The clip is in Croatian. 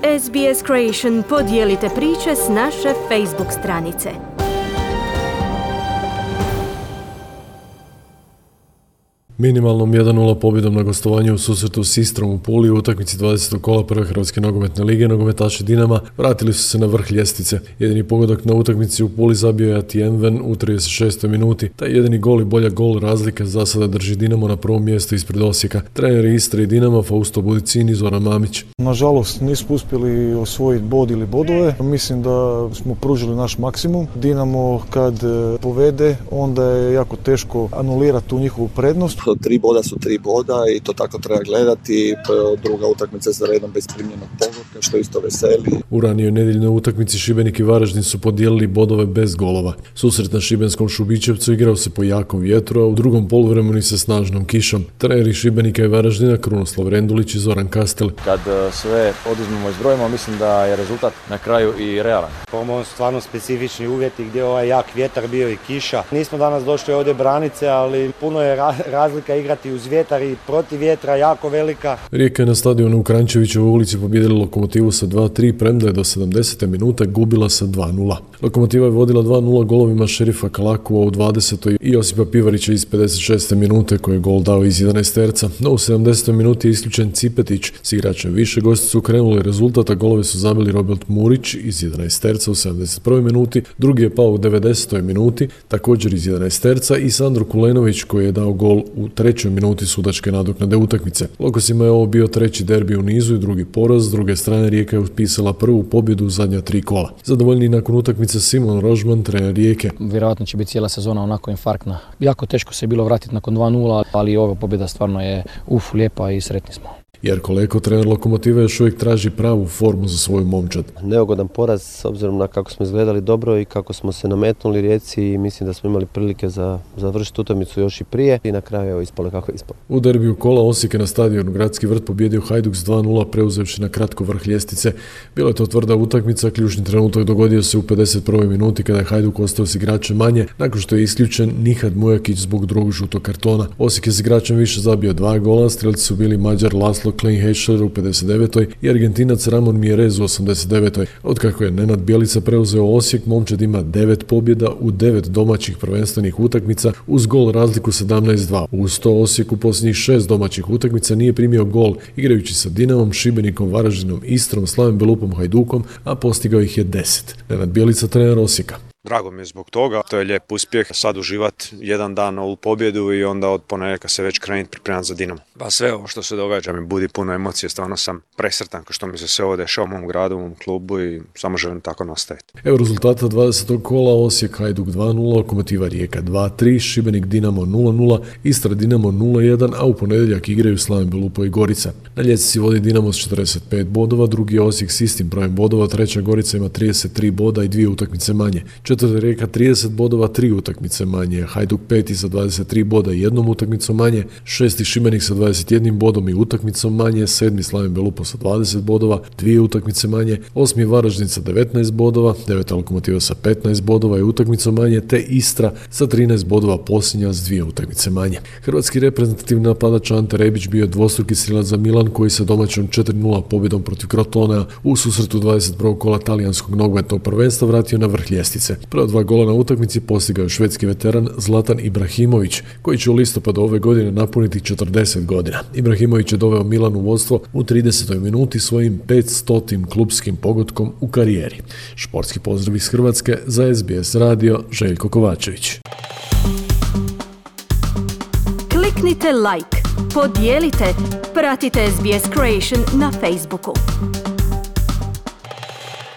SBS Creation, podijelite priče s naše Facebook stranice. Minimalnom 1-0 pobjedom na gostovanju u susretu s Istrom u Puli u utakmici 20. kola prve Hrvatske nogometne lige nogometaši Dinama vratili su se na vrh ljestvice. Jedini pogodak na utakmici u Puli zabio je Atienven u 36. minuti. Taj jedini gol i bolja gol razlika za sada drži Dinamo na prvom mjestu ispred Osijeka. Treneri Istre i Dinama Fausto Budicin i Zoran Mamić. Nažalost nismo uspjeli osvojiti bod ili bodove. Mislim da smo pružili naš maksimum. Dinamo kad povede onda je jako teško anulirati tu njihovu prednost. 3 boda su 3 boda i to tako treba gledati. Druga utakmica za redom bez primljenog pogotka, što isto veseli. U ranijoj nedjeljnoj utakmici Šibenik i Varaždin su podijelili bodove bez golova. Susret na šibenskom Šubićevcu igrao se po jakom vjetru, a u drugom poluvremenu sa snažnom kišom. Treneri Šibenika i Varaždina Krunoslav Rendulić i Zoran Kastel. Kad sve oduzmemo i zbrojimo, mislim da je rezultat na kraju i realan. Ovo su stvarno specifični uvjeti gdje je jak vjetar bio i kiša. Nismo danas došli ovdje branice, ali puno je razlika igrati uz vjetar i protiv vjetra, jako velika. Rijeka je na stadionu u Kranjčevićevoj ulici pobijedila Lokomotivu sa 2-3, premda je do 70. minute gubila sa 2-0. Lokomotiva je vodila 2-0 golovima Šerifa Kalakova u 20. i Josipa Pivarića iz 56. minute koji je gol dao iz 11 terca. No u 70. minuti je isključen Cipetić. S igračem više gosti su krenuli rezultata, golove su zabili Robert Murić iz 11 terca u 71. minuti, drugi je pao u 90. minuti, također iz 11 terca i Sandro Kulenović koji je dao gol u 3. minuti sudačke nadoknade utakmice. Lokosima je ovo bio 3. derbi u nizu i drugi poraz, s druge strane Rijeka je upisala prvu pobjedu u zadnja 3 kola. Zadovoljni nakon utakmice Simon Rožman, trener Rijeke. Vjerojatno će biti cijela sezona onako infarktna. Jako teško se je bilo vratiti nakon 2-0, ali ova pobjeda stvarno je lijepa i sretni smo. Jerko Leko, trener Lokomotive, još uvijek traži pravu formu za svoju momčad. Neugodan poraz s obzirom na kako smo izgledali dobro i kako smo se nametnuli Rijeci i mislim da smo imali prilike za završiti utakmicu još i prije i na kraju je ispalo kako je ispalo. U derbiju kola Osijek je na stadionu Gradski vrt pobjedio Hajduk s 2-0 preuzevši na kratko vrh ljestvice. Bila je to tvrda utakmica, ključni trenutak dogodio se u 51. minuti kada je Hajduk ostao s igračem manje nakon što je isključen Nihad Mujakić zbog drugog žutog kartona. Osijek je s igračem više zabio 2 gola, strelci su bili Mađar Laslo Klein-Heschler u 59. i Argentinac Ramon Mierez u 89. Otkako je Nenad Bjelica preuzeo Osijek, momčad ima 9 pobjeda u 9 domaćih prvenstvenih utakmica uz gol razliku 17-2. Uz to Osijek u posljednjih 6 domaćih utakmica nije primio gol igrajući sa Dinamom, Šibenikom, Varaždinom, Istrom, Slavim Belukom, Hajdukom, a postigao ih je 10. Nenad Bjelica, trener Osijeka. Drago mi je zbog toga, to je lijep uspjeh, sad uživati jedan dan ovu pobjedu i onda od ponedjeljka se već krenuti pripremati za Dinamo. Pa sve ovo što se događa mi budi puno emocije, stvarno sam presretan što mi se sve ovo dešava u mom gradu, u mom klubu i samo želim tako nastaviti. Evo rezultata 20. kola: Osijek Hajduk 2-0, Lokomotiva Rijeka 2-3, Šibenik Dinamo 0-0, Istra Dinamo 0-1, a u ponedjeljak igraju Slaven Belupo i Gorica. Na ljestvici vodi Dinamo s 45 bodova, drugi je Osijek s istim brojem bodova, treća Gorica ima 33 boda i 2 utakmice manje. Četvrta Rijeka 30 bodova, 3 utakmice manje, Hajduk 5. sa 23 boda i 1 utakmicom manje, 6. Šibenik sa 21 bodom i utakmicom manje, 7. Slaven Belupo sa 20 bodova, 2 utakmice manje, 8. Varaždin sa 19 bodova, 9. Lokomotiva sa 15 bodova i utakmicom manje, te Istra sa 13 bodova posljednja s 2 utakmice manje. Hrvatski reprezentativni napadač Ante Rebić bio dvostruki strilac za Milan koji se domaćom 4-0 pobjedom protiv Crotona u susretu 21. kola talijanskog nogometnog prvenstva vratio na vrh ljestvice. Prva 2 gola na utakmici postigao je švedski veteran Zlatan Ibrahimović, koji će u listopadu ove godine napuniti 40 godina. Ibrahimović je doveo Milan u vodstvo u 30. minuti svojim 500. klubskim pogotkom u karijeri. Športski pozdrav iz Hrvatske za SBS radio, Željko Kovačević. Kliknite like, podijelite, pratite SBS Creation na Facebooku.